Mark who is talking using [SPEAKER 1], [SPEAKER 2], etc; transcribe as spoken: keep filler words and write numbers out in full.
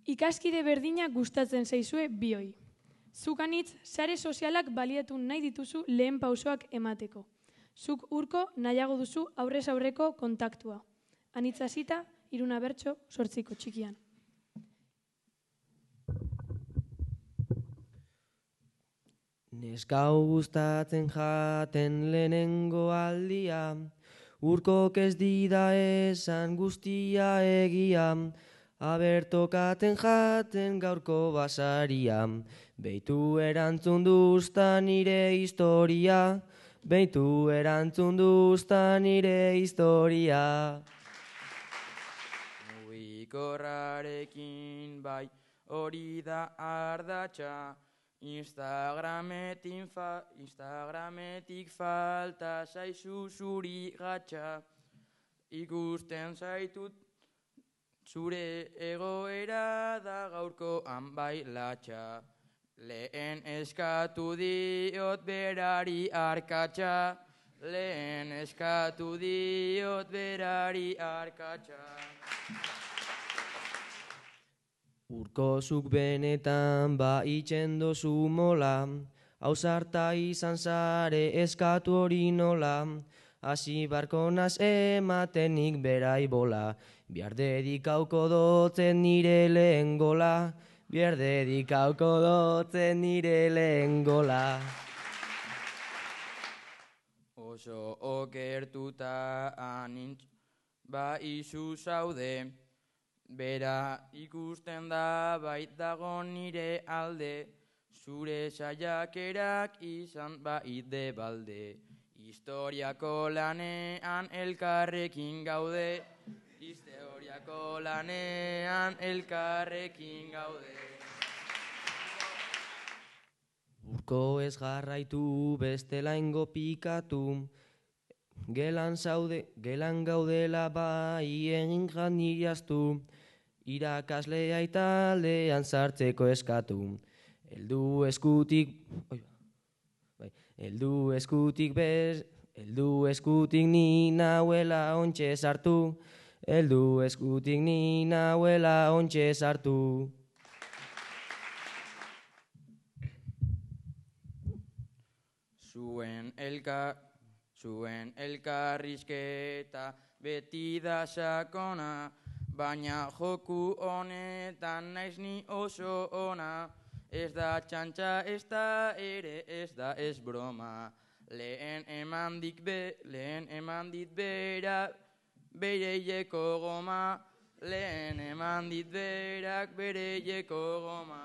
[SPEAKER 1] Ikaskide berdinak gustatzen zaizue bioi. Zuk anitz, sare sozialak baliatu nahi dituzu lehen pausoak emateko. Zuk urko nahiago duzu aurrez aurreko kontaktua. Anitz hasita, Iruna Bertso, Zortziko txikian.
[SPEAKER 2] Neskau gustatzen jaten lehenengo aldia, urkok ez dida esan guztia egia, abertokaten jaten gaurko basaria, beitu erantzun duzta nire historia, beitu erantzun duzta nire historia.
[SPEAKER 3] Mugikorrarekin bai hori da ardatxa, Instagrametik, fa, Instagrametik falta zaizu zuri gatxa, ikusten zaitut zure egoera da gaurkoan bai latxa. Lehen eskatu diot berari arkatxa, lehen eskatu diot berari arkatxa.
[SPEAKER 2] Urko zuk benetan ba itxen dozu mola, ausarta izan zare eskatu hori nola, hasi barko naz ematenik berai bola, bihar dedikauko dotzen nire lehen gola, bihar dedikauko dotzen nire lehen gola.
[SPEAKER 3] Oso okertuta anintz ba izu zaude, bera ikusten da bait dago nire alde, zure saiakerak izan baide balde. Historiako lanean elkarrekin gaude, historiako lanean elkarrekin gaude.
[SPEAKER 2] Urko ez jarraitu bestela ingo pikatu, gelan zaude, gelan gaudela bai egin janiriaztu, irakaslea italdean sartzeko eskatu. Eldu eskutik, oi, bai, eldu eskutik bez, eldu eskutik ni nauela ontxe sartu, eldu eskutik ni nauela ontxe sartu.
[SPEAKER 3] Zuen elka, zuen elkarrizketa beti da sakona, baina joku honetan naiz ni oso ona. Ez da txantxa, ez da ere, ez da ez broma. Lehen eman dik be, lehen eman dit bera, bereieko goma. Lehen eman dit berak bereieko goma.